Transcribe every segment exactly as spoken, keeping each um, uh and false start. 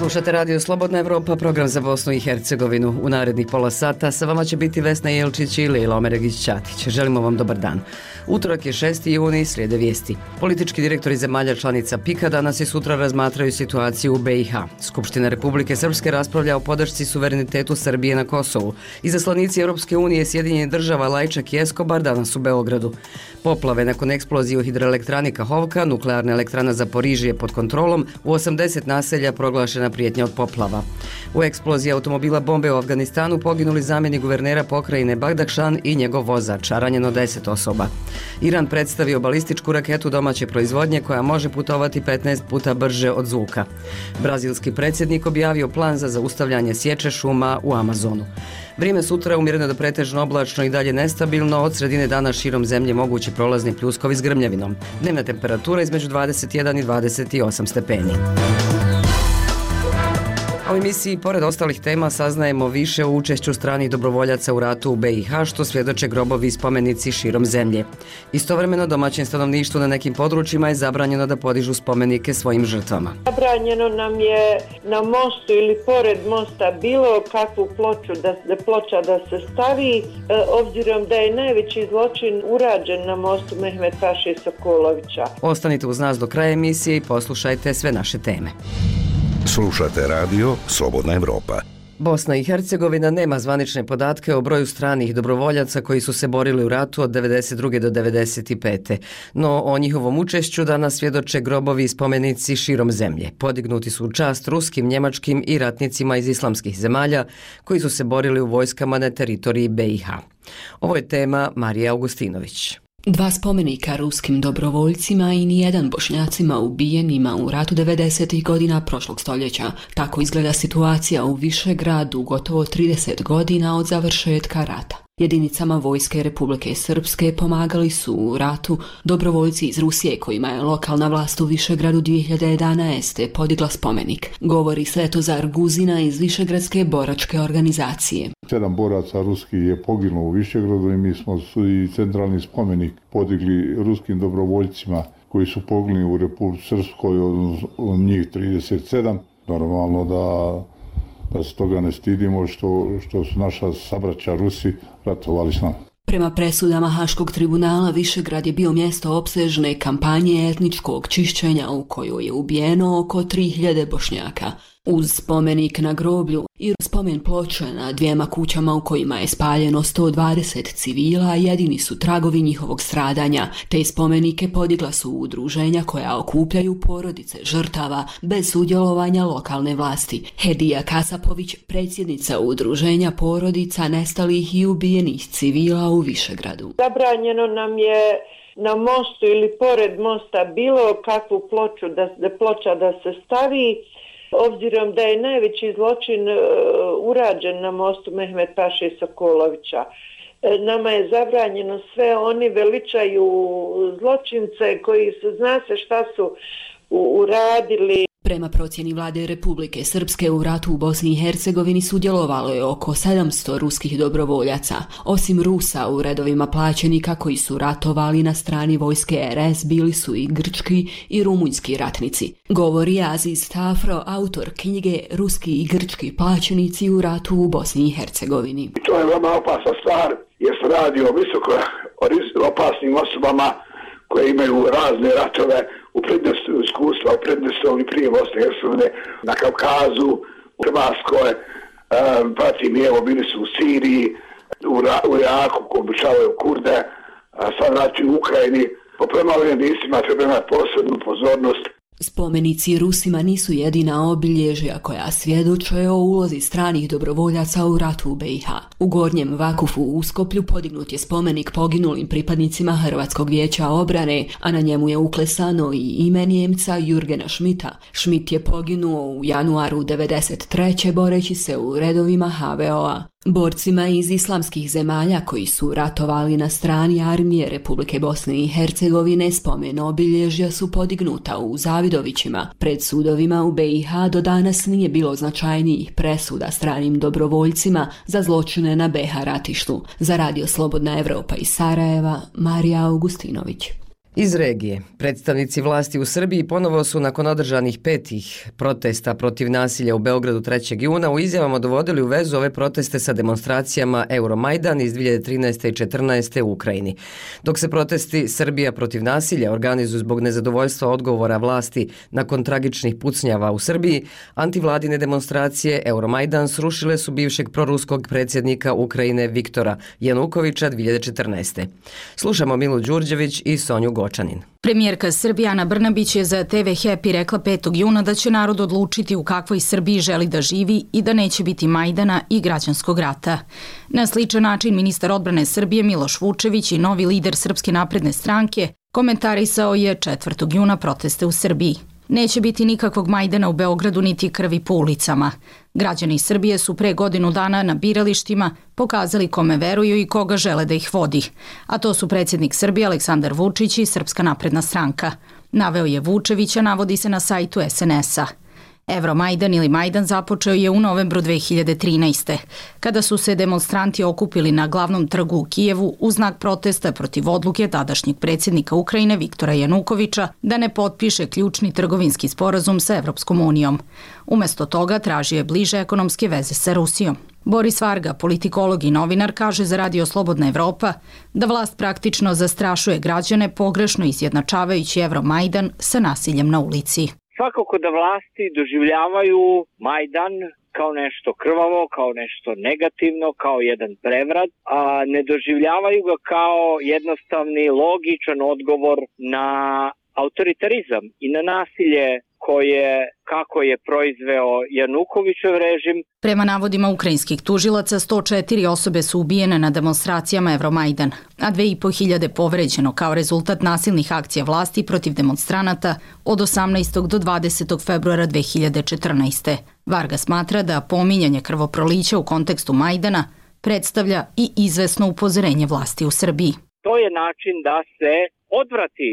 Slušate radio Slobodna Evropa, program za Bosnu i Hercegovinu. U narednih pola sata sa vama će biti Vesna Jelčić i Lila Omeregić-Ćatić. Želimo vam dobar dan. Utorak je šesti juni, slijede vijesti. Politički direktori zemalja članica pika danas i sutra razmatraju situaciju u be i ha. Skupština Republike Srpske raspravlja o podršci suverenitetu Srbije na Kosovu. Izaslanici Europske unije Sjedinjenih država Lajčak i Eskobar danas u Beogradu. Poplave nakon eksplozije u hidroelektrani Kahovka, nuklearna elektrana Zaporižje pod kontrolom, u osamdeset naselja proglašena prijetnja od poplava. U eksploziji automobila bombe u Afganistanu poginuli zamjenik guvernera pokrajine Bagdakšan i njegov vozač, a ranjeno deset osoba. Iran predstavio balističku raketu domaće proizvodnje koja može putovati petnaest puta brže od zvuka. Brazilski predsjednik objavio plan za zaustavljanje sječe šuma u Amazonu. Vrijeme sutra umjereno do pretežno oblačno i dalje nestabilno, od sredine dana širom zemlje mogući prolazni pljuskovi s grmljavinom. Dnevna temperatura između dvadeset jedan i dvadeset osam stepeni. A u emisiji, pored ostalih tema, saznajemo više o učešću stranih dobrovoljaca u ratu u be i ha, što svjedoče grobovi i spomenici širom zemlje. Istovremeno, domaćem stanovništvu na nekim područjima je zabranjeno da podižu spomenike svojim žrtvama. Zabranjeno nam je na mostu ili pored mosta bilo kakvu ploču da, da ploča da se stavi, e, obzirom da je najveći zločin urađen na mostu Mehmet Paše Sokolovića. Ostanite uz nas do kraja emisije i poslušajte sve naše teme. Slušate radio Slobodna Evropa. Bosna i Hercegovina nema zvanične podatke o broju stranih dobrovoljaca koji su se borili u ratu od devedeset druge do devedeset pete. No o njihovom učešću danas svjedoče grobovi i spomenici širom zemlje. Podignuti su u čast ruskim, njemačkim i ratnicima iz islamskih zemalja koji su se borili u vojskama na teritoriji be i ha. Ovo je tema Marije Augustinović. Dva spomenika ruskim dobrovoljcima i nijedan Bošnjacima ubijenima u ratu devedesetih godina prošlog stoljeća. Tako izgleda situacija u Višegradu gotovo trideset godina od završetka rata. Jedinicama vojske Republike Srpske pomagali su u ratu dobrovoljci iz Rusije kojima je lokalna vlast u Višegradu dvije hiljade jedanaeste. podigla spomenik. Govori Svetozar Guzina iz Višegradske boračke organizacije. Sedam boraca ruskih je poginulo u Višegradu i mi smo i centralni spomenik podigli ruskim dobrovoljcima koji su poginuli u Republici Srpskoj, od njih trideset sedam. Normalno da da se toga ne stidimo što, što su naša sabraća Rusi ratovali s nama. Prema presudama Haškog tribunala, Višegrad je bio mjesto opsežne kampanje etničkog čišćenja u kojoj je ubijeno oko tri hiljade Bošnjaka. Uz spomenik na groblju i spomen ploče na dvijema kućama u kojima je spaljeno sto dvadeset civila, jedini su tragovi njihovog stradanja. Te spomenike podigla su udruženja koja okupljaju porodice žrtava bez sudjelovanja lokalne vlasti. Hedija Kasapović, predsjednica udruženja porodica nestalih i ubijenih civila u Višegradu. Zabranjeno nam je na mostu ili pored mosta bilo kakvu ploču da, da ploča da se stavi, obzirom da je najveći zločin uh, urađen na mostu Mehmet Paše Sokolovića. E, nama je zabranjeno sve, oni veličaju zločince koji su, zna se šta su u, uradili. Prema procjeni vlade Republike Srpske u ratu u Bosni i Hercegovini sudjelovalo je oko sedamsto ruskih dobrovoljaca. Osim Rusa u redovima plaćenika koji su ratovali na strani vojske er es bili su i grčki i rumunjski ratnici. Govori Aziz Tafro, autor knjige Ruski i grčki plaćenici u ratu u Bosni i Hercegovini. To je veoma opasna stvar jer se radi o visoko opasnim osobama koje imaju razne ratove u prednosti iskustva, u prednosti prije Bosne i Hercegovine, na Kavkazu, u Hrvatskoj, um, pratim i evo bili su u Siriji, u, Ra, u Iraku, koji obučavaju Kurde, a sad znači u Ukrajini. Po premalim istima treba imati posebnu pozornost. Spomenici Rusima nisu jedina obilježja koja svjedoče o ulozi stranih dobrovoljaca u ratu u be i ha. U Gornjem Vakufu u Uskoplju podignut je spomenik poginulim pripadnicima Hrvatskog vijeća obrane, a na njemu je uklesano i ime Njemca Jurgena Schmidta. Schmidt je poginuo u januaru devedeset treće boreći se u redovima ha ve o a. Borcima iz islamskih zemalja koji su ratovali na strani armije Republike Bosne i Hercegovine spomen obilježja su podignuta u Zavidovićima. Pred sudovima u be i ha do danas nije bilo značajnijih presuda stranim dobrovoljcima za zločine na be ha ratištu. Za radio Slobodna Evropa iz Sarajeva, Marija Augustinović. Iz regije, predstavnici vlasti u Srbiji ponovo su nakon održanih petih protesta protiv nasilja u Beogradu trećeg juna u izjavama dovodili u vezu ove proteste sa demonstracijama Euromajdan iz dvije hiljade trinaeste i četrnaeste u Ukrajini. Dok se protesti Srbija protiv nasilja organizuju zbog nezadovoljstva odgovora vlasti nakon tragičnih pucnjava u Srbiji, antivladine demonstracije Euromajdan srušile su bivšeg proruskog predsjednika Ukrajine Viktora Janukovića dvije hiljade četrnaeste. Slušamo Milu Đurđević i Sonju Gočanin. Premijerka Srbije Ana Brnabić je za te ve Happy rekla petog juna da će narod odlučiti u kakvoj Srbiji želi da živi i da neće biti Majdana i građanskog rata. Na sličan način ministar odbrane Srbije Miloš Vučević i novi lider Srpske napredne stranke komentarisao je četvrtog juna proteste u Srbiji. Neće biti nikakvog Majdana u Beogradu niti krvi po ulicama. Građani Srbije su pre godinu dana na biralištima pokazali kome veruju i koga žele da ih vodi. A to su predsjednik Srbije Aleksandar Vučić i Srpska napredna stranka. Naveo je Vučevića, navodi se na sajtu es en es-a. Euromajdan ili Majdan započeo je u novembru dve hiljade trinaeste. kada su se demonstranti okupili na glavnom trgu u Kijevu u znak protesta protiv odluke tadašnjeg predsjednika Ukrajine Viktora Janukovića da ne potpiše ključni trgovinski sporazum sa Evropskom unijom. Umesto toga tražio je bliže ekonomske veze sa Rusijom. Boris Varga, politikolog i novinar, kaže za Radio Slobodna Evropa da vlast praktično zastrašuje građane pogrešno izjednačavajući Euromajdan sa nasiljem na ulici. Svakako da vlasti doživljavaju Majdan kao nešto krvavo, kao nešto negativno, kao jedan prevrat, a ne doživljavaju ga kao jednostavni, logičan odgovor na autoritarizam i na nasilje koje, kako je proizveo Janukovićev režim. Prema navodima ukrajinskih tužilaca, sto četiri osobe su ubijene na demonstracijama Euromajdan, a dve i po hiljade povređeno kao rezultat nasilnih akcija vlasti protiv demonstranata od osamnaestog do dvadesetog februara dve hiljade četrnaeste. Varga smatra da pominjanje krvoprolića u kontekstu Majdana predstavlja i izvesno upozorenje vlasti u Srbiji. To je način da se odvrati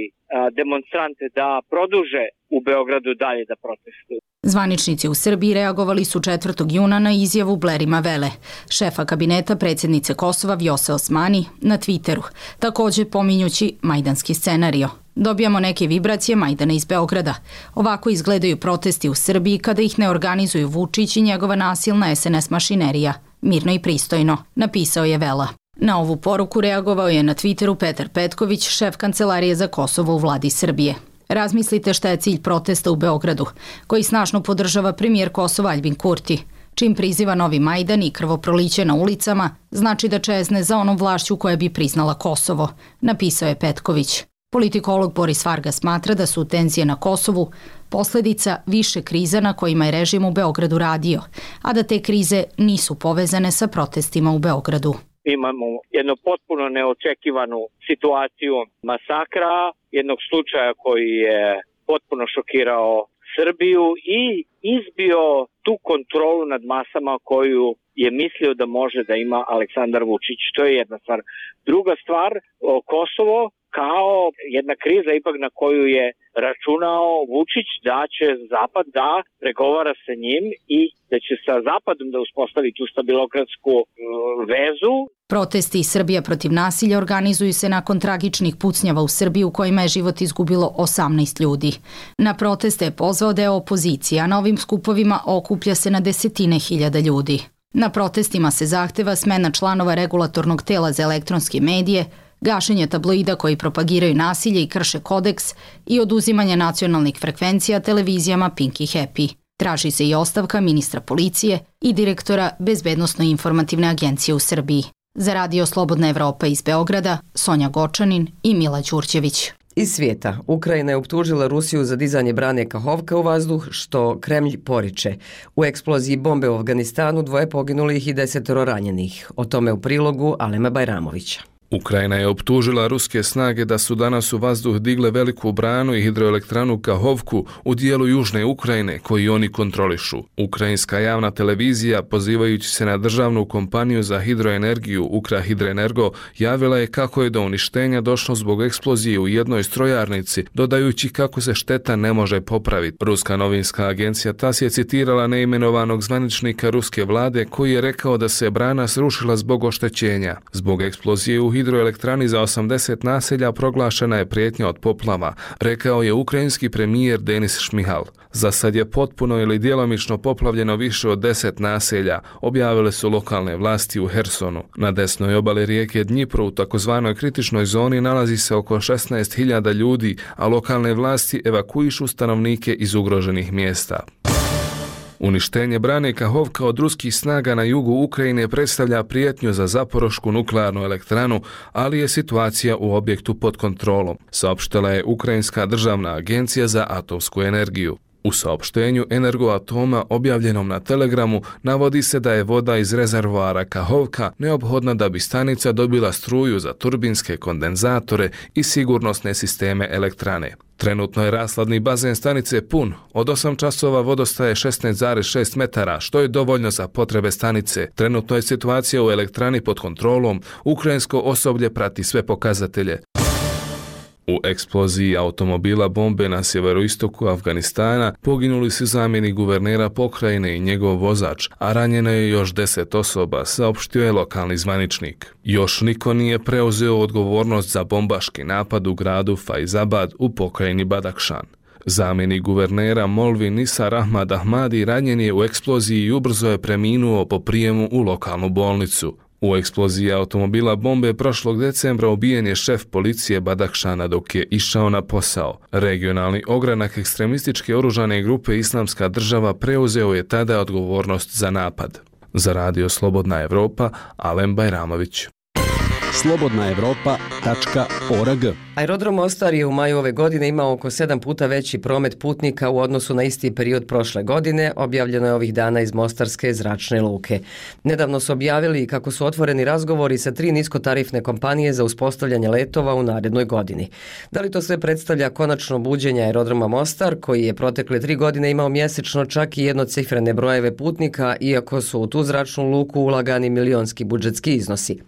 demonstrante da produže u Beogradu dalje da protestuju. Zvaničnici u Srbiji reagovali su četvrtog juna na izjavu Blerima Vele, šefa kabineta predsjednice Kosova Vjose Osmani, na Twitteru, također pominjući majdanski scenario. Dobijamo neke vibracije Majdana iz Beograda. Ovako izgledaju protesti u Srbiji kada ih ne organizuju Vučić i njegova nasilna es en es mašinerija. Mirno i pristojno, napisao je Vela. Na ovu poruku reagovao je na Twitteru Petar Petković, šef kancelarije za Kosovo u vladi Srbije. Razmislite šta je cilj protesta u Beogradu, koji snažno podržava premijer Kosova Aljbin Kurti. Čim priziva novi Majdan i krvoproliće na ulicama, znači da čezne za onom vlašću koja bi priznala Kosovo, napisao je Petković. Politikolog Boris Varga smatra da su tenzije na Kosovu posljedica više kriza na kojima je režim u Beogradu radio, a da te krize nisu povezane sa protestima u Beogradu. Imamo jednu potpuno neočekivanu situaciju masakra, jednog slučaja koji je potpuno šokirao Srbiju i izbio tu kontrolu nad masama koju je mislio da može da ima Aleksandar Vučić. To je jedna stvar. Druga stvar, Kosovo kao jedna kriza ipak na koju je računao Vučić da će Zapad da pregovara sa njim i da će sa Zapadom da uspostavi tu stabilokratsku vezu. Protesti Srbija protiv nasilja organizuju se nakon tragičnih pucnjava u Srbiji u kojima je život izgubilo osamnaest ljudi. Na proteste je pozvao deo opozicije, a na ovim skupovima okuplja se na desetine hiljada ljudi. Na protestima se zahteva smena članova regulatornog tela za elektronske medije, gašenje tabloida koji propagiraju nasilje i krše kodeks i oduzimanje nacionalnih frekvencija televizijama Pink i Happy. Traži se i ostavka ministra policije i direktora Bezbednosno-informativne agencije u Srbiji. Za Radio Slobodna Evropa iz Beograda, Sonja Gočanin i Mila Đurđević. Iz svijeta, Ukrajina je optužila Rusiju za dizanje brane Kahovka u vazduh, što Kremlj poriče. U eksploziji bombe u Afganistanu dvoje poginulih i desetoro ranjenih. O tome u prilogu Alema Bajramovića. Ukrajina je optužila ruske snage da su danas u vazduh digle veliku branu i hidroelektranu Kahovku u dijelu južne Ukrajine koji oni kontrolišu. Ukrajinska javna televizija, pozivajući se na državnu kompaniju za hidroenergiju Ukrahidroenergo, javila je kako je do uništenja došlo zbog eksplozije u jednoj strojarnici, dodajući kako se šteta ne može popraviti. Ruska novinska agencija tas je citirala neimenovanog zvaničnika ruske vlade koji je rekao da se brana srušila zbog oštećenja. Zbog eksplozije u hidroelektrani za osamdeset naselja proglašena je prijetnja od poplava, rekao je ukrajinski premijer Denis Šmihal. Za sad je potpuno ili djelomično poplavljeno više od deset naselja, objavile su lokalne vlasti u Hersonu. Na desnoj obali rijeke Dnjipro u takozvanoj kritičnoj zoni nalazi se oko šesnaest hiljada ljudi, a lokalne vlasti evakuišu stanovnike iz ugroženih mjesta. Uništenje brane Kahovka od ruskih snaga na jugu Ukrajine predstavlja prijetnju za Zaporošku nuklearnu elektranu, ali je situacija u objektu pod kontrolom, saopštila je Ukrajinska državna agencija za atomsku energiju. U saopštenju Energoatoma objavljenom na Telegramu navodi se da je voda iz rezervoara Kahovka neophodna da bi stanica dobila struju za turbinske kondenzatore i sigurnosne sisteme elektrane. Trenutno je rashladni bazen stanice pun, od osam časova vodostaje šesnaest zarez šest metara, što je dovoljno za potrebe stanice. Trenutno je situacija u elektrani pod kontrolom, ukrajinsko osoblje prati sve pokazatelje. U eksploziji automobila bombe na sjeveroistoku Afganistana poginuli su zamjenik guvernera pokrajine i njegov vozač, a ranjeno je još deset osoba, saopštio je lokalni zvaničnik. Još niko nije preuzeo odgovornost za bombaški napad u gradu Faizabad u pokrajini Badakšan. Zamjenik guvernera Molvi Nisar Ahmad Ahmadi ranjen je u eksploziji i ubrzo je preminuo po prijemu u lokalnu bolnicu. U eksploziji automobila bombe prošlog decembra ubijen je šef policije Badakšana dok je išao na posao. Regionalni ogranak ekstremističke oružane grupe Islamska država preuzeo je tada odgovornost za napad. Za Radio Slobodna Evropa, Alen Bajramović. slobodna evropa tačka org. Aerodrom Mostar je u maju ove godine imao oko sedam puta veći promet putnika u odnosu na isti period prošle godine, objavljeno je ovih dana iz Mostarske zračne luke. Nedavno su objavili kako su otvoreni razgovori sa tri niskotarifne kompanije za uspostavljanje letova u narednoj godini. Da li to sve predstavlja konačno buđenje aerodroma Mostar, koji je protekle tri godine imao mjesečno čak i jednocifrene brojeve putnika, iako su u tu zračnu luku ulagani milionski budžetski iznosi.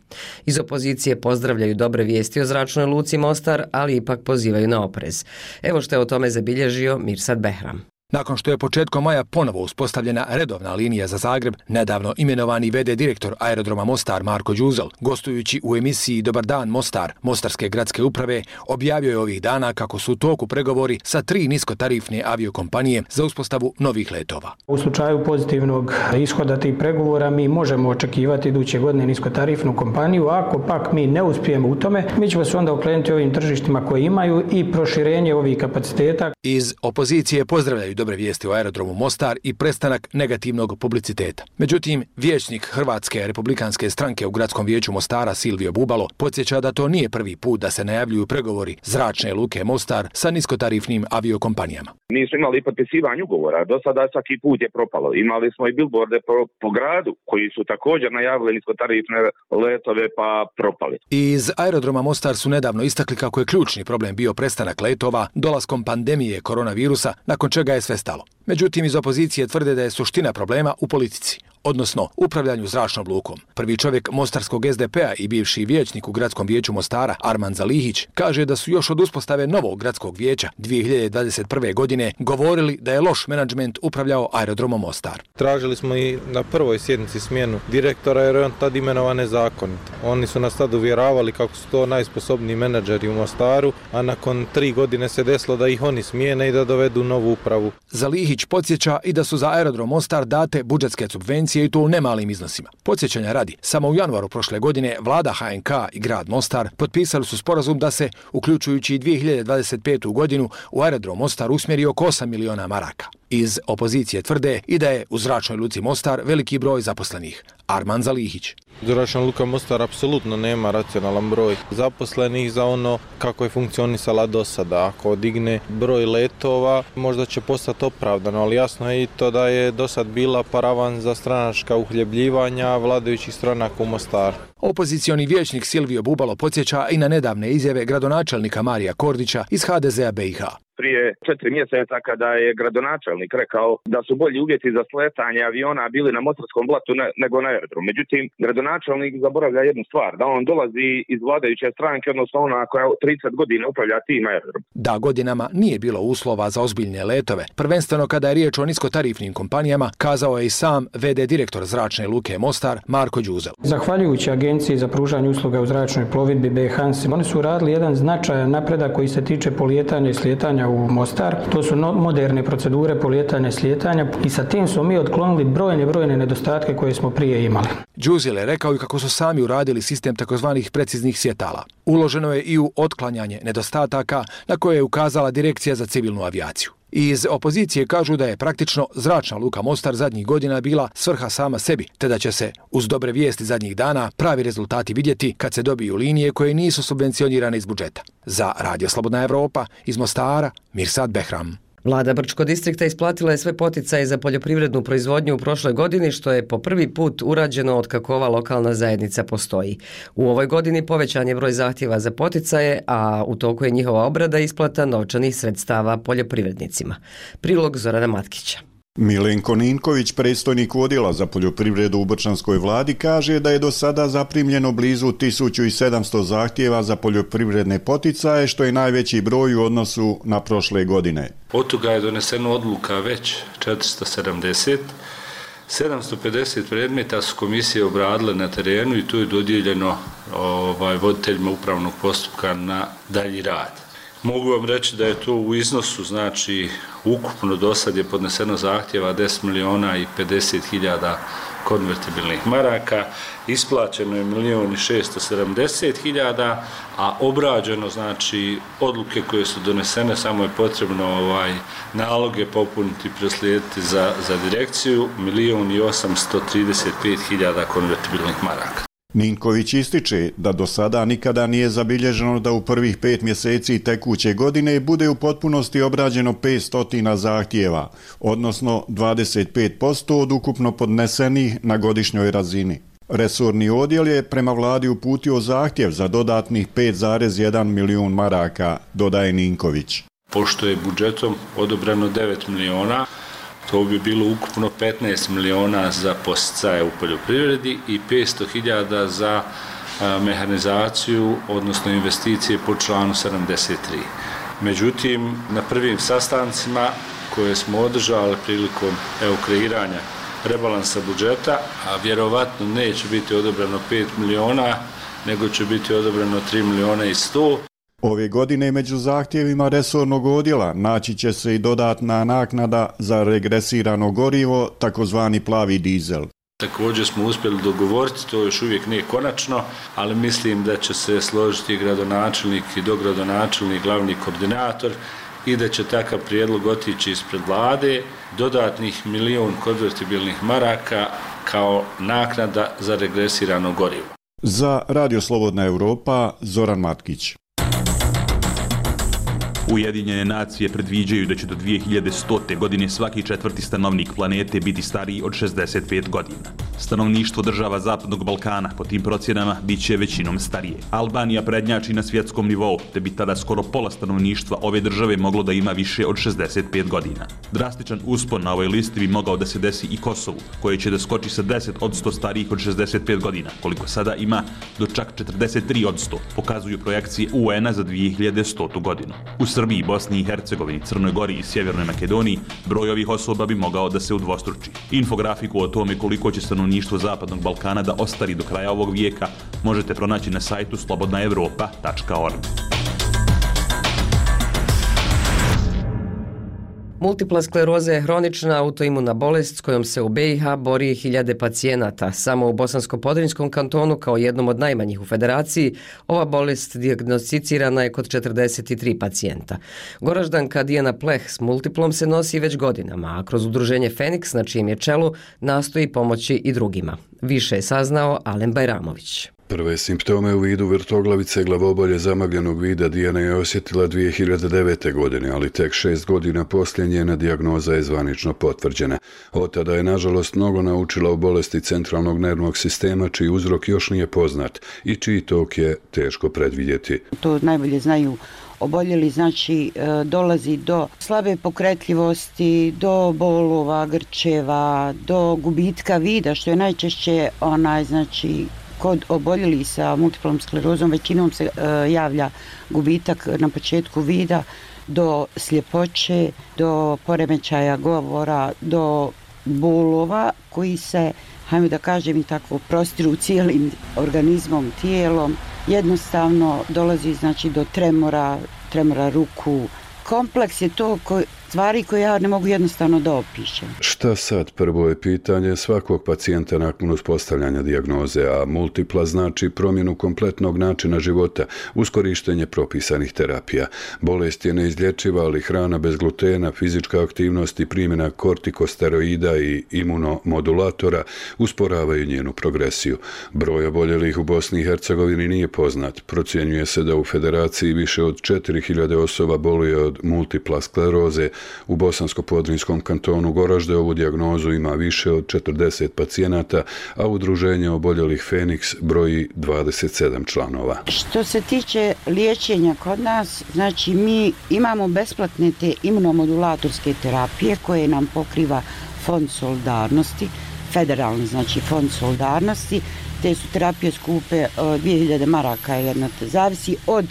Iz opozicije pozdravljaju dobre vijesti o zračnoj luci Mostar, ali ipak pozivaju na oprez. Evo što je o tome zabilježio Mirsad Behram. Nakon što je početkom maja ponovo uspostavljena redovna linija za Zagreb, nedavno imenovani ve de direktor aerodroma Mostar Marko Đuzel, gostujući u emisiji Dobar dan Mostar, Mostarske gradske uprave, objavio je ovih dana kako su u toku pregovori sa tri niskotarifne aviokompanije za uspostavu novih letova. U slučaju pozitivnog ishoda tih pregovora mi možemo očekivati iduće godine niskotarifnu kompaniju, ako pak mi ne uspijemo u tome, mi ćemo se onda okrenuti ovim tržištima koji imaju i proširenje ovih kapaciteta. Iz opozicije pozdravljaju dobre vijesti o aerodromu Mostar i prestanak negativnog publiciteta. Međutim, vijećnik Hrvatske republikanske stranke u gradskom vijeću Mostara Silvio Bubalo podsjeća da to nije prvi put da se najavljuju pregovori zračne luke Mostar sa niskotarifnim aviokompanijama. Nisu imali potpisivanje ugovora, do sada svaki put je propalo. Imali smo i bilborde po, po gradu koji su također najavili niskotarifne letove pa propali. Iz aerodroma Mostar su nedavno istakli kako je ključni problem bio prestanak letova dolaskom pandemije koronavirusa, nakon čega je sve stalo. Međutim, iz opozicije tvrde da je suština problema u politici, odnosno upravljanju zračnom lukom. Prvi čovjek mostarskog es de pea i bivši vijećnik u gradskom vijeću Mostara, Arman Zalihić, kaže da su još od uspostave novog gradskog vijeća dvije hiljade dvadeset prve. godine govorili da je loš menadžment upravljao aerodromom Mostar. Tražili smo i na prvoj sjednici smjenu direktora jer je on tad imenovan nezakonito. Oni su nas tad uvjeravali kako su to najsposobniji menadžeri u Mostaru, a nakon tri godine se desilo da ih oni smijene i da dovedu novu upravu. Zalihić podsjeća i da su za aerodrom Mostar date budžetske subvencije i to u nemalim iznosima. Podsjećanja radi, samo u januaru prošle godine vlada ha en ka i grad Mostar potpisali su sporazum da se, uključujući i dvije hiljade dvadeset petu. godinu, u aerodrom Mostar usmjeri oko osam miliona maraka. Iz opozicije tvrde i da je u zračnoj luci Mostar veliki broj zaposlenih. Arman Zalihić. Zračna luka Mostar apsolutno nema racionalan broj zaposlenih za ono kako je funkcionisala do sada. Ako digne broj letova, možda će postati opravdano, ali jasno je i to da je do sad bila paravan za stranačka uhljebljivanja vladajućih stranaka u Mostaru. Opozicioni vijećnik Silvio Bubalo podsjeća i na nedavne izjave gradonačelnika Marija Kordića iz ha de zea be i ha. prije četiri mjeseca kada je gradonačelnik rekao da su bolji uvjeti za sletanje aviona bili na Mostarskom blatu ne, nego na aerodromu. Međutim, gradonačelnik zaboravlja jednu stvar, da on dolazi iz vladajuće stranke, odnosno ona koja trideset godina upravlja tim aerodrom. Da godinama nije bilo uslova za ozbiljne letove, prvenstveno kada je riječ o niskotarifnim kompanijama, kazao je i sam ve de direktor Zračne luke Mostar Marko Đuzel. Zahvaljujući Agenciji za pružanje usluga u zračnoj plovidbi B E Hansi, oni su radili jedan značajan napredak koji se tiče polijetanja i slijetanja u Mostar. To su no, moderne procedure polijetanja i slijetanja i sa tim smo mi otklonili brojne, brojne nedostatke koje smo prije imali. Đuzel je rekao i kako su sami uradili sistem takozvanih preciznih svjetala. Uloženo je i u otklanjanje nedostataka na koje je ukazala Direkcija za civilnu avijaciju. Iz opozicije kažu da je praktično Zračna luka Mostar zadnjih godina bila svrha sama sebi, te da će se, uz dobre vijesti zadnjih dana, pravi rezultati vidjeti kad se dobiju linije koje nisu subvencionirane iz budžeta. Za Radio Slobodna Evropa, iz Mostara, Mirsad Behram. Vlada Brčko distrikta isplatila je sve poticaje za poljoprivrednu proizvodnju u prošloj godini, što je po prvi put urađeno od kako ova lokalna zajednica postoji. U ovoj godini povećan je broj zahtjeva za poticaje, a u toku je njihova obrada i isplata novčanih sredstava poljoprivrednicima. Prilog Zorana Matkića. Milenko Ninković, predstojnik odjela za poljoprivredu u Brčanskoj vladi, kaže da je do sada zaprimljeno blizu tisuću sedamsto zahtjeva za poljoprivredne poticaje, što je najveći broj u odnosu na prošle godine. Od toga je doneseno odluka već četiristo sedamdeset, sedamsto pedeset predmeta su komisije obradile na terenu i tu je dodijeljeno ovaj, voditeljima upravnog postupka na dalji rad. Mogu vam reći da je to u iznosu, znači ukupno do sad je podneseno zahtjeva deset miliona i pedeset hiljada konvertibilnih maraka, isplaćeno je milion i šesto sedamdeset hiljada, a obrađeno, znači odluke koje su donesene, samo je potrebno ovaj naloge popuniti i proslijediti za, za direkciju, milion i osamsto trideset pet hiljada konvertibilnih maraka. Ninković ističe da do sada nikada nije zabilježeno da u prvih pet mjeseci tekuće godine bude u potpunosti obrađeno petsto zahtjeva, odnosno dvadeset pet posto od ukupno podnesenih na godišnjoj razini. Resorni odjel je prema vladi uputio zahtjev za dodatnih pet zarez jedan milijun maraka, dodaje Ninković. Pošto je budžetom odobreno devet miliona, to bi bilo ukupno petnaest miliona za podsticaje u poljoprivredi i petsto hiljada za a, mehanizaciju, odnosno investicije po članu sedamdeset tri. Međutim, na prvim sastancima koje smo održali prilikom evo, kreiranja rebalansa budžeta, a vjerovatno neće biti odobreno pet miliona, nego će biti odobreno tri miliona i sto. Ove godine među zahtjevima resornog odjela naći će se i dodatna naknada za regresirano gorivo, takozvani plavi dizel. Također smo uspjeli dogovoriti, to još uvijek nije konačno, ali mislim da će se složiti gradonačelnik i dogradonačelnik, glavni koordinator i da će takav prijedlog otići ispred vlade, dodatnih milion konvertibilnih maraka kao naknada za regresirano gorivo. Za Radio Slobodna Evropa, Zoran Matkić. Ujedinjene nacije predviđaju da će do dvije hiljade stote godine svaki četvrti stanovnik planete biti stariji od šezdeset pet godina. Stanovništvo država Zapadnog Balkana po tim procjenama bit će većinom starije. Albanija prednjači na svjetskom nivou, te bi tada skoro pola stanovništva ove države moglo da ima više od šezdeset pet godina. Drastičan uspon na ovoj listi bi mogao da se desi i Kosovu, koje će da skoči sa deset odsto starijih od šezdeset pet godina, koliko sada ima, do čak četrdeset tri odsto, pokazuju projekcije U N-a za dvije hiljade stotu godinu. U Srbiji, Bosni i Hercegovini, Crnoj Gori i Sjevernoj Makedoniji broj ovih osoba bi mogao da se udvostruči. Infografiku o tome koliko će stanovništvo Zapadnog Balkana da ostari do kraja ovog vijeka možete pronaći na sajtu slobodna evropa tačka org. Multipla skleroza je hronična autoimuna bolest s kojom se u B i H bori hiljade pacijenata. Samo u Bosansko-Podrinjskom kantonu, kao jednom od najmanjih u federaciji, ova bolest dijagnosticirana je kod četrdeset tri pacijenta. Goraždanka Dijana Pleh s multiplom se nosi već godinama, a kroz udruženje Feniks, na čijem je čelu, nastoji pomoći i drugima. Više je saznao Alen Bajramović. Prve simptome u vidu vrtoglavice, glavobolje, zamagljenog vida Dijana je osjetila dvije hiljade devete. godine, ali tek šest godina poslije njena dijagnoza je zvanično potvrđena. Od tada je, nažalost, mnogo naučila o bolesti centralnog nervnog sistema, čiji uzrok još nije poznat i čiji tok je teško predvidjeti. To najbolje znaju oboljeli, znači dolazi do slabe pokretljivosti, do bolova, grčeva, do gubitka vida, što je najčešće onaj, znači, kod oboljeli sa multiplom sklerozom većinom se e, javlja gubitak na početku vida, do sljepoće, do poremećaja govora, do bolova koji se, hajmo da kažem i tako, prostiru cijelim organizmom, tijelom. Jednostavno dolazi, znači, do tremora, tremora ruku. Kompleks je to koji, stvari koje ja ne mogu jednostavno da opišem. Šta sad? Prvo je pitanje svakog pacijenta nakon uspostavljanja dijagnoze, a multipla znači promjenu kompletnog načina života uz korištenje propisanih terapija. Bolest je neizlječiva, ali hrana bez glutena, fizička aktivnost i primjena kortikosteroida i imunomodulatora usporavaju njenu progresiju. Broj oboljelih u Bosni i Hercegovini nije poznat. Procjenjuje se da u federaciji više od četiri hiljade osoba boluje od multipla skleroze. U Bosansko-Podrinjskom kantonu Goražde ovu dijagnozu ima više od četrdeset pacijenata, a udruženje oboljelih Feniks broji dvadeset sedam članova. Što se tiče liječenja kod nas, znači mi imamo besplatne te imunomodulatorske terapije koje nam pokriva Fond solidarnosti, federalni, znači Fond solidarnosti. Te su terapije skupe, dvije hiljade maraka jedna, zavisi od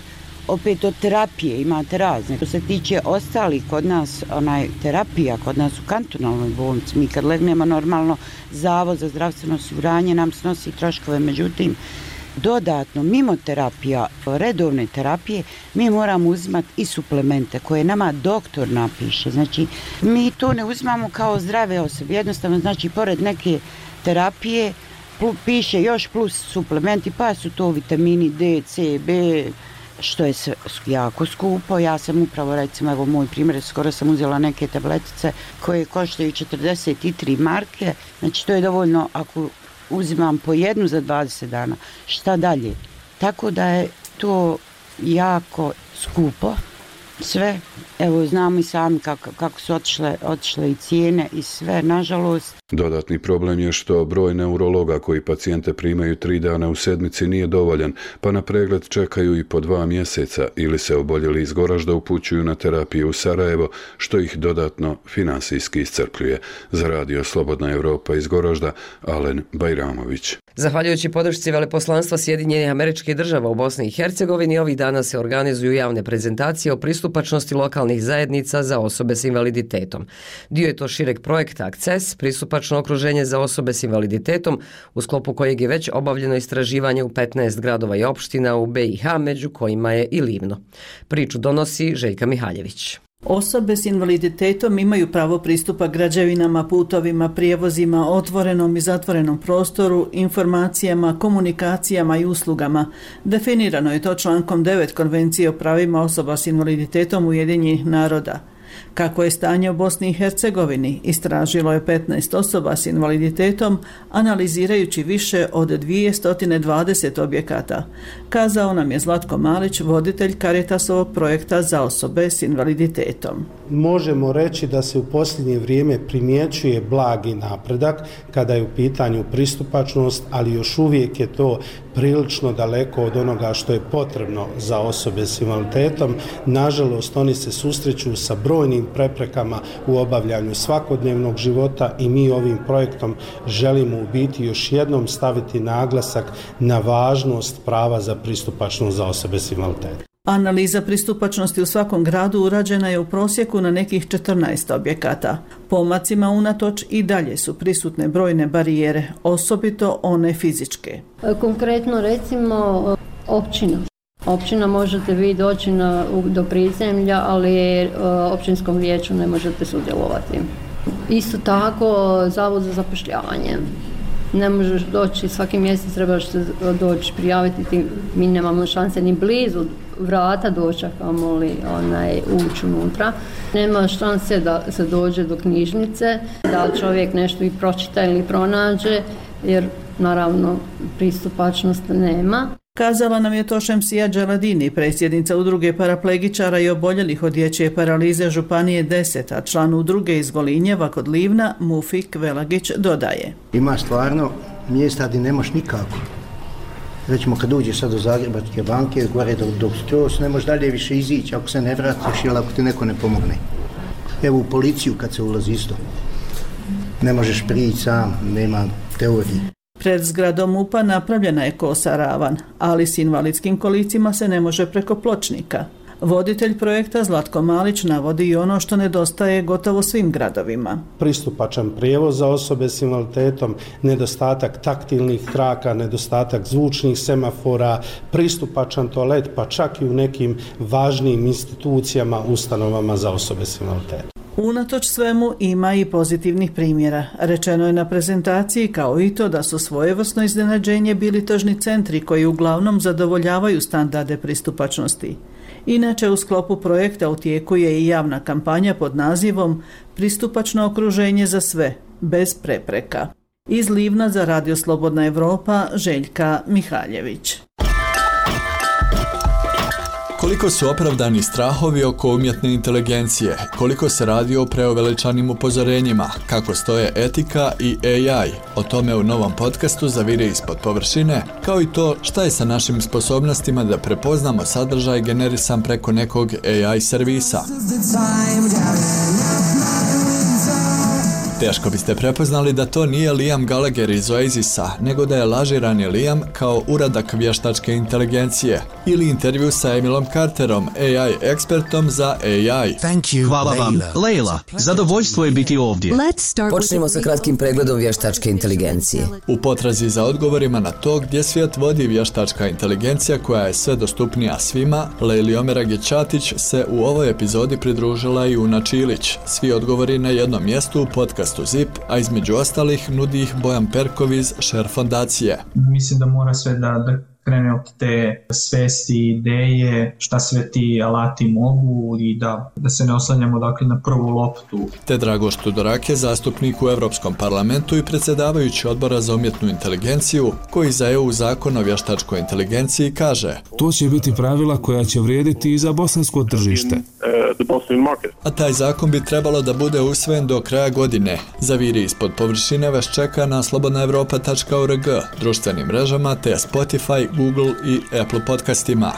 opet od terapije, imate razne. Što se tiče ostalih kod nas, onaj terapija, kod nas u kantonalnoj bolnici, mi kad legnemo normalno, Zavod za zdravstveno osiguranje nam snosi troškove, međutim, dodatno, mimo terapija, redovne terapije, mi moramo uzimati i suplemente koje nama doktor napiše. Znači, mi to ne uzimamo kao zdrave osobe, jednostavno, znači, pored neke terapije piše još plus suplementi, pa su to vitamini D, C, B, što je jako skupo. Ja sam upravo, recimo, evo moj primjer, skoro sam uzela neke tabletice koje koštaju četrdeset tri marke, znači to je dovoljno ako uzimam po jednu za dvadeset dana. Šta dalje? Tako da je to jako skupo sve. Evo, znamo i sami kako, kako su otišle, otišle i cijene i sve, nažalost. Dodatni problem je što broj neurologa koji pacijente primaju tri dana u sedmici nije dovoljan, pa na pregled čekaju i po dva mjeseca ili se oboljeli iz Goražda upućuju na terapiju u Sarajevo, što ih dodatno finansijski iscrpljuje. Za radio Slobodna Evropa iz Goražda, Alen Bajramović. Zahvaljujući podršci Veleposlanstva Sjedinjenih Američkih Država u Bosni i Hercegovini, ovih dana se organizuju javne prezentacije o pristupačnosti lokalnih zajednica za osobe s invaliditetom. Dio je to šireg projekta Akces, pristupačno okruženje za osobe s invaliditetom, u sklopu kojeg je već obavljeno istraživanje u petnaest gradova i opština u B i H, među kojima je i Livno. Priču donosi Željka Mihaljević. Osobe s invaliditetom imaju pravo pristupa građevinama, putovima, prijevozima, otvorenom i zatvorenom prostoru, informacijama, komunikacijama i uslugama. Definirano je to člankom devet Konvencije o pravima osoba s invaliditetom Ujedinjenih naroda. Kako je stanje u Bosni i Hercegovini, istražilo je petnaest osoba s invaliditetom, analizirajući više od dvjesto dvadeset objekata. Kazao nam je Zlatko Malić, voditelj Caritasovog projekta za osobe s invaliditetom. Možemo reći da se u posljednje vrijeme primjećuje blagi napredak kada je u pitanju pristupačnost, ali još uvijek je to prilično daleko od onoga što je potrebno za osobe s invaliditetom. Nažalost, oni se susreću sa brojnim preprekama u obavljanju svakodnevnog života i mi ovim projektom želimo u biti još jednom staviti naglasak na važnost prava za pristupačnost za osobe s invaliditetom. Analiza pristupačnosti u svakom gradu urađena je u prosjeku na nekih četrnaest objekata. Pomacima unatoč i dalje su prisutne brojne barijere, osobito one fizičke. Konkretno recimo općina. Općina možete vi doći na, do prizemlja, ali općinskom vijeću ne možete sudjelovati. Isto tako Zavod za zapošljavanje. Ne možeš doći, svaki mjesec trebaš se doći prijaviti, ti, mi nemamo šanse ni blizu vrata doći, kamoli onaj, ući unutra. Nema šanse da se dođe do knjižnice, da čovjek nešto i pročita ili pronađe, jer naravno pristupačnost nema. Kazala nam je to Šemsija Đaladini, predsjednica udruge paraplegičara i oboljelih od dječje paralize Županije deset, a član udruge iz Golinjeva kod Livna, Mufik Velagić, dodaje. Ima stvarno mjesta gdje ne možeš nikako. Recimo kad uđeš sad do Zagrebačke banke, gore do, do skroz, ne možeš dalje više izići ako se ne vratiš ili ako ti neko ne pomogne. Evo u policiju kad se ulazi isto. Ne možeš prići sam, nema teorije. Pred zgradom U P A napravljena je kosa ravan, ali s invalidskim kolicima se ne može preko pločnika. Voditelj projekta Zlatko Malić navodi i ono što nedostaje gotovo svim gradovima. Pristupačan prijevoz za osobe s invaliditetom, nedostatak taktilnih traka, nedostatak zvučnih semafora, pristupačan toalet, pa čak i u nekim važnim institucijama, ustanovama za osobe s invaliditetom. Unatoč svemu ima i pozitivnih primjera. Rečeno je na prezentaciji kao i to da su svojevrsno iznenađenje bili tržni centri koji uglavnom zadovoljavaju standarde pristupačnosti. Inače, u sklopu projekta u tijeku je i javna kampanja pod nazivom Pristupačno okruženje za sve, bez prepreka. Iz Livna za Radio Slobodna Evropa, Željka Mihaljević. Koliko su opravdani strahovi oko umjetne inteligencije, koliko se radi o preuveličanim upozorenjima, kako stoje etika i A I, o tome u novom podcastu Zavire ispod površine, kao i to šta je sa našim sposobnostima da prepoznamo sadržaj generisan preko nekog A I servisa. Teško biste prepoznali da to nije Liam Gallagher iz Oasisa, nego da je lažirani Liam kao uradak vještačke inteligencije ili intervju sa Emilom Carterom, A I ekspertom za A I. Thank you, Hvala vam, Leila. Zadovoljstvo je biti ovdje. Počnemo sa kratkim pregledom vještačke inteligencije. U potrazi za odgovorima na to gdje svijet vodi vještačka inteligencija koja je sve dostupnija svima, Leili Omeragić-Ćatić se u ovoj epizodi pridružila i Una Čilić. Svi odgovori na jednom mjestu u podcastu Zip, a između ostalih nudi ih Bojan Perkov iz Share fondacije. Mislim da mora sve da, da krene od te svesti, ideje, šta sve ti alati mogu i da, da se ne oslanjamo dakle na prvu loptu. Te Dragoš Tudorak je zastupnik u Europskom parlamentu i predsjedavajući odbora za umjetnu inteligenciju, koji za E U zakon o vještačkoj inteligenciji kaže: To će biti pravila koja će vrijediti i za bosansko tržište. A taj zakon bi trebalo da bude usvojen do kraja godine. Zaviri ispod površine vas čeka na slobodna evropa tačka org, društvenim mrežama te Spotify, Google i Apple podcastima.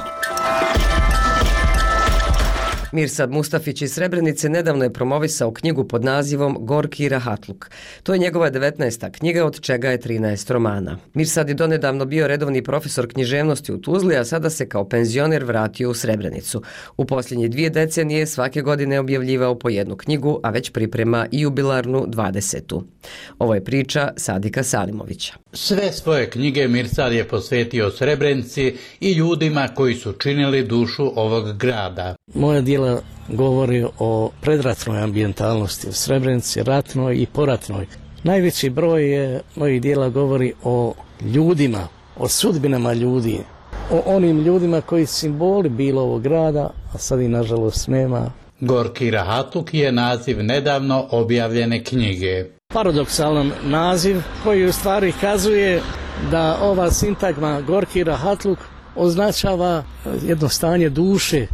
Mirsad Mustafić iz Srebrenice nedavno je promovisao knjigu pod nazivom Gorki rahatluk. To je njegova devetnaesta knjiga, od čega je trinaest romana. Mirsad je donedavno bio redovni profesor književnosti u Tuzli, a sada se kao penzioner vratio u Srebrenicu. U posljednje dvije decenije svake godine objavljivao po jednu knjigu, a već priprema i jubilarnu dvadesetu. Ovo je priča Sadika Salimovića. Sve svoje knjige Mirsad je posvetio Srebrenici i ljudima koji su činili dušu ovog grada. Moja djela govori o predratnoj ambijentalnosti u Srebrenici, ratnoj i poratnoj. Najveći broj je, mojih djela govori o ljudima, o sudbinama ljudi, o onim ljudima koji simboli bilo ovog grada, a sad i nažalost nema. Gorki rahatluk je naziv nedavno objavljene knjige. Paradoksalan naziv koji u stvari kazuje da ova sintagma Gorki rahatluk označava jedno stanje duše.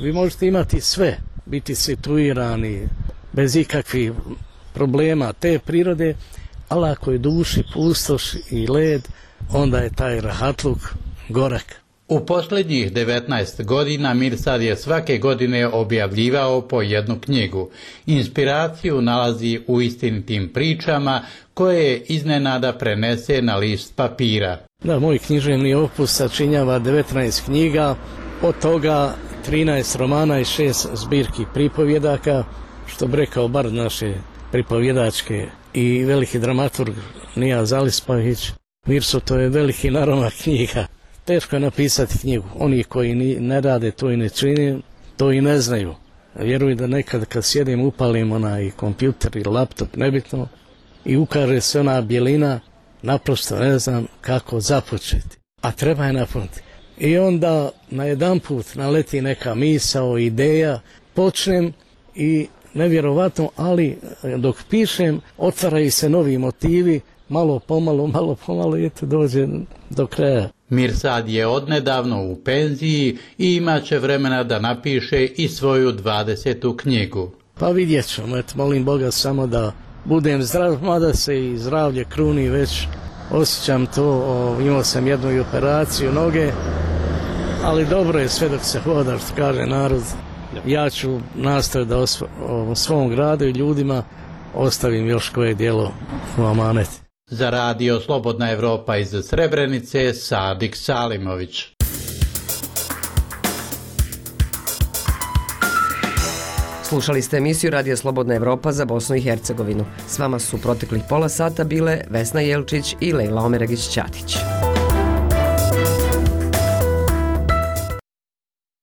Vi možete imati sve, biti situirani bez ikakvih problema te prirode, ali ako je duši pustoš i led, onda je taj rahatluk gorak. U posljednjih devetnaest godina Mirsad je svake godine objavljivao po jednu knjigu. Inspiraciju nalazi u istinitim pričama koje iznenada prenese na list papira. Da, moj književni opus sačinjava devetnaest knjiga, od toga trinaest romana i šest zbirki pripovjedaka, što bi rekao bar naše pripovjedačke i veliki dramaturg Nija Zalispavić. Mirso, to je veliki naromak knjiga. Teško je napisati knjigu. Oni koji ne rade to i ne čini, to i ne znaju. Vjerujem da nekad kad sjedim upalim onaj kompjuter ili laptop, nebitno, i ukaže se ona bjelina, naprosto ne znam kako započeti. A treba je napuniti. I onda na jedan put naleti neka misao, ideja, počnem i nevjerovatno, ali dok pišem otvaraju se novi motivi, malo pomalo, malo pomalo i eto dođe do kraja. Mirsad je odnedavno u penziji i imat će vremena da napiše i svoju dvadesetu knjigu. Pa vidjet ćemo, eto, molim Boga samo da budem zdrav, mada se i zdravlje kruni već, osjećam to, o, imao sam jednu i operaciju noge, ali dobro je sve dok se hoda, što kaže narod. Ja ću nastaviti da osvo, o svom gradu i ljudima ostavim još koje djelo u amanet. Za radio Slobodna Evropa iz Srebrenice, Sadik Salimović. Slušali ste emisiju Radija Slobodna Evropa za Bosnu i Hercegovinu. S vama su proteklih pola sata bile Vesna Jelčić i Lejla Omeregić-Ćatić.